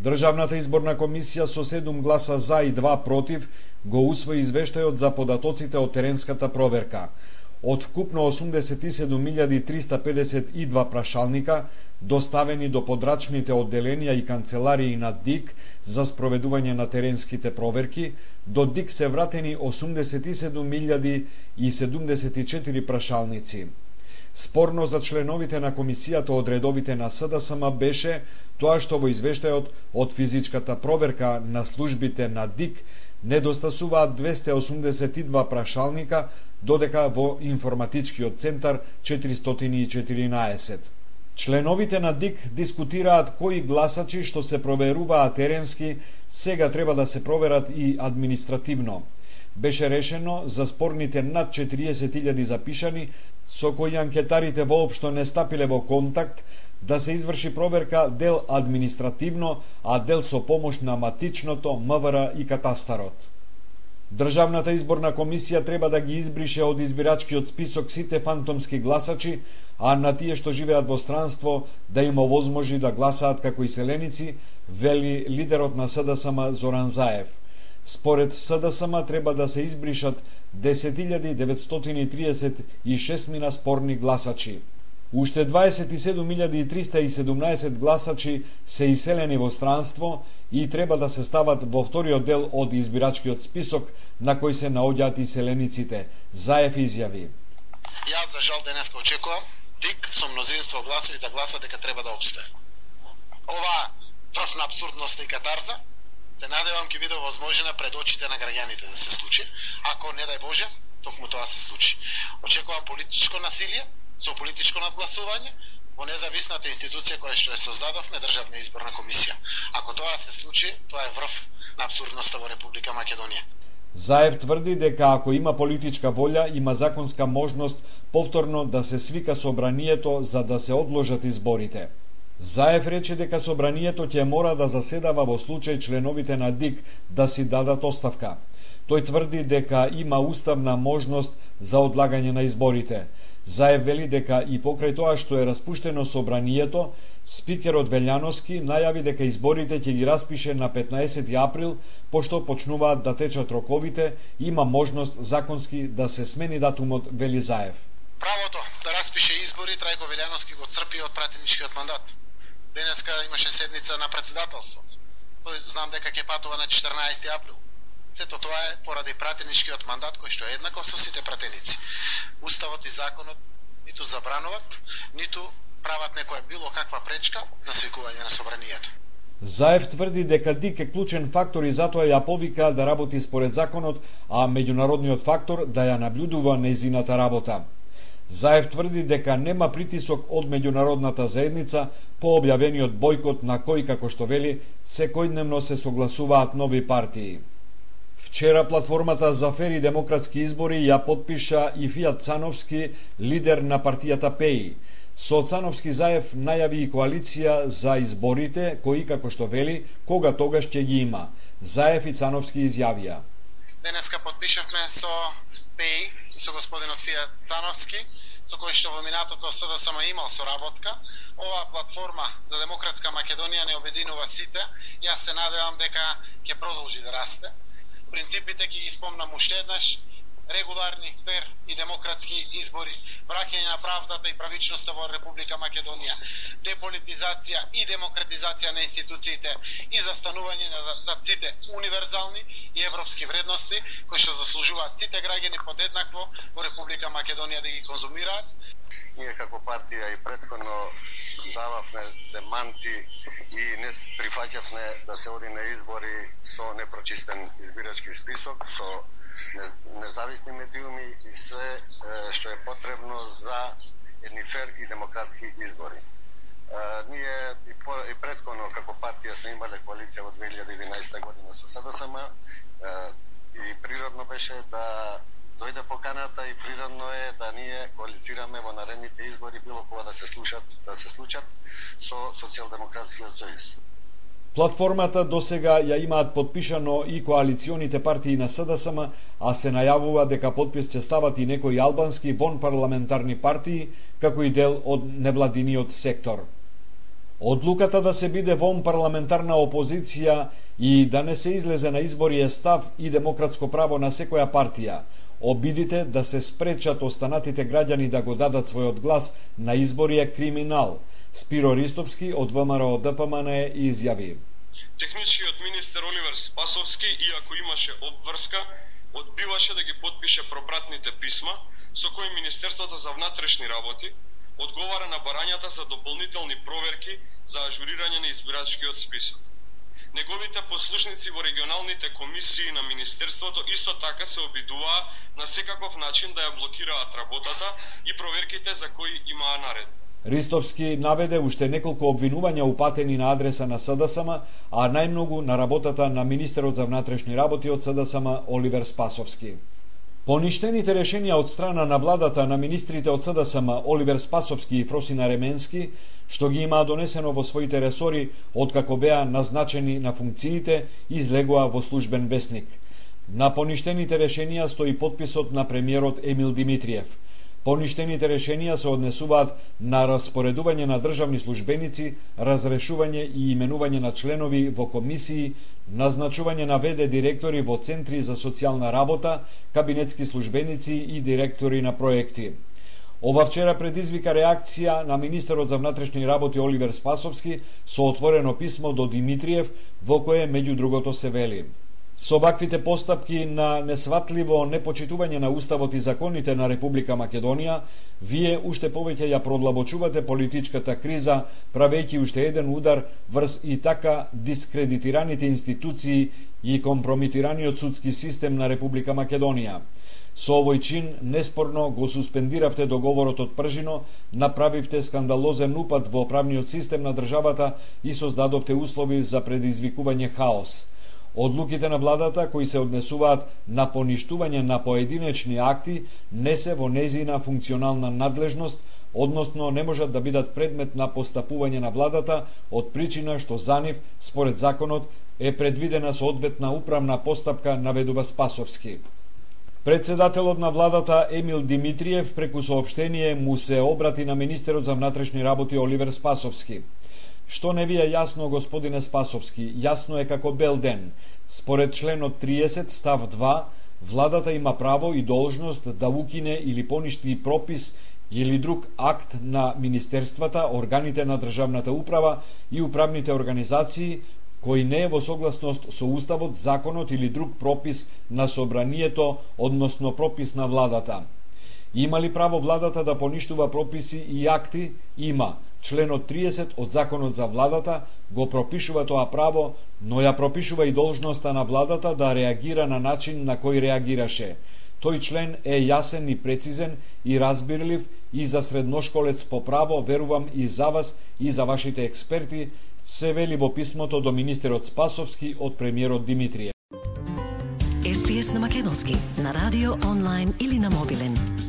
Државната изборна комисија со 7 гласа за и 2 против го усвои извештајот за податоците од теренската проверка. Од вкупно 87.352 прашалника, доставени до подрачните одделенија и канцеларии на ДИК за спроведување на теренските проверки, до ДИК се вратени 87.074 прашалници. Спорно за членовите на комисијата од редовите на СДСМ беше тоа што во извештајот од физичката проверка на службите на ДИК недостасуваат 282 прашалника, додека во информатичкиот центар 414. Членовите на ДИК дискутираат кои гласачи што се проверуваат теренски сега треба да се проверат и административно. Беше решено за спорните над 40.000 запишани со кои анкетарите воопшто не стапиле во контакт да се изврши проверка дел административно, а дел со помош на матичното, МВР и катастарот. Државната изборна комисија треба да ги избрише од избирачкиот список сите фантомски гласачи, а на тие што живеат во странство да им овозможи да гласаат како иселеници, вели лидерот на СДСМ Зоран Заев. Според СДСМ треба да се избришат 10.936 спорни гласачи. Уште 27.317 гласачи се иселени во странство и треба да се стават во вториот дел од избирачкиот список на кој се наоѓаат иселениците. Заев изјави: Јас за жал денеска очекувам ДИК со мнозинство гласови да гласа дека треба да обстое. Ова врв на абсурдност и катарза се надевам ќе биде возможна пред очите на граѓаните да се случи. Ако не дај Боже, токму тоа се случи. Очекувам политичко насилие со политичко надгласување во независната институција која што ја создадовме, Државна изборна комисија. Ако тоа се случи, тоа е врв на абсурдноста во Република Македонија. Заев тврди дека ако има политичка волја, има законска можност повторно да се свика собранието за да се одложат изборите. Заев рече дека собранието ќе мора да заседава во случај членовите на ДИК да си дадат оставка. Тој тврди дека има уставна можност за одлагање на изборите. Заев вели дека и покрај тоа што е распуштено собранието, спикерот Велјановски најави дека изборите ќе ги распише на 15 април, пошто почнуваат да течат роковите, има можност законски да се смени датумот, вели Заев. Правото да распише избори Трајко Велјановски го црпи од пратеничкиот мандат. Денеска имаше седница на председателството. Тој знам дека ќе патува на 14 април. Сето тоа е поради пратеничкиот мандат кој што е еднаков со сите пратеници. Уставот и законот ниту забрануваат, ниту прават некоја било каква пречка за свикување на собранието. Заев тврди дека ДИК е клучен фактор и затоа ја повика да работи според законот, а меѓународниот фактор да ја наблюдува нејзината работа. Заев тврди дека нема притисок од меѓународната заедница по објавениот бојкот на кој, како што вели, секојдневно се согласуваат нови партии. Вчера платформата за фер и демократски избори ја подпиша и Фијат Цановски, лидер на партијата ПЕИ. Со Цановски Заев најави и коалиција за изборите, кои, како што вели, кога тогаш ќе ги има. Заев и Цановски изјавија: Денеска подпишавме со ПЕИ, со господинот Фијат Цановски, со кој што во минатото СДСМ имал соработка. Оваа платформа за демократска Македонија не обединува сите. Јас се надевам дека ќе продолжи да расте. Принципите ќе ги спомнам уште еднаш: регуларни, фер и демократски избори, враќање на правдата и правичноста во Република Македонија, деполитизација и демократизација на институциите и застанување за сите универзални и европски вредности кои што заслужуваат сите граѓани подеднакво во Република Македонија да ги конзумираат. Ние како партија и претходно дававме деманти и не прифаќавме да се оди на избори со непрочистен избирачки список, со независни медиуми и све што е потребно за едни фер и демократски избори. Ние и претходно како партија сме имале коалиција во 2011 година со СДСМ и природно беше да дојде поканата и природно е да ние коалицираме во наредните избори било кога да се случат со Социјалдемократскиот сојуз. Платформата досега ја имаат подпишано и коалиционите партии на СДСМ, а се најавува дека подпис ќе стават и некои албански вонпарламентарни партии, како и дел од невладиниот сектор. Одлуката да се биде вон парламентарна опозиција и да не се излезе на избори е став и демократско право на секоја партија. Обидите да се спречат останатите граѓани да го дадат својот глас на избори е криминал. Спиро Ристовски од ВМРО ДПМН изјави. Техничкиот министер Оливер Спасовски, иако имаше обврска, одбиваше да ги подпише пропратните писма со кои Министерството за внатрешни работи одговара на барањата за дополнителни проверки за ажурирање на избирачкиот список. Неговите послушници во регионалните комисии на Министерството исто така се обидуваа на секаков начин да ја блокираат работата и проверките за кои имаа наред. Ристовски наведе уште неколку обвинувања упатени на адреса на СДСМ, а најмногу на работата на министерот за внатрешни работи од СДСМ Оливер Спасовски. Поништените решенија од страна на владата на министрите од СДСМ Оливер Спасовски и Фросина Ременски, што ги имаа донесено во своите ресори откако беа назначени на функциите, излегоа во службен весник. На поништените решенија стои подписот на премиерот Емил Димитриев. Поништените решенија се однесуваат на распоредување на државни службеници, разрешување и именување на членови во комисии, назначување на ВД директори во центри за социјална работа, кабинетски службеници и директори на проекти. Ова вчера предизвика реакција на министерот за внатрешни работи Оливер Спасовски со отворено писмо до Димитриев во кое меѓу другото се вели: Со ваквите постапки на несватливо непочитување на Уставот и законите на Република Македонија, вие уште повеќе ја продлабочувате политичката криза, правејќи уште еден удар врз и така дискредитираните институции и компромитираниот судски систем на Република Македонија. Со овој чин неспорно го суспендиравте договорот од Пржино, направивте скандалозен упад во правниот систем на државата и создадовте услови за предизвикување хаос. Одлуките на владата кои се однесуваат на поништување на поединечни акти не се во нејзина функционална надлежност, односно не можат да бидат предмет на постапување на владата од причина што за нив, според законот, е предвидена соодветна управна постапка, наведува Спасовски. Председателот на владата Емил Димитриев преку соопштение му се обрати на министерот за внатрешни работи Оливер Спасовски. Што не ви е јасно, господине Спасовски? Јасно е како бел ден. Според членот 30 став 2, владата има право и должност да укине или поништи пропис или друг акт на министерствата, органите на државната управа и управните организации кој не е во согласност со Уставот, законот или друг пропис на собранието, односно пропис на владата. Има ли право владата да поништува прописи и акти? Има. Членот 30 од Законот за владата го пропишува тоа право, но ја пропишува и должноста на владата да реагира на начин на кој реагираше. Тој член е јасен и прецизен и разбирлив и за средношколец по право, верувам и за вас и за вашите експерти, се вели во писмото до министерот Спасовски од премиерот Димитриев. SPS на македонски, на радио, онлайн или на мобилен.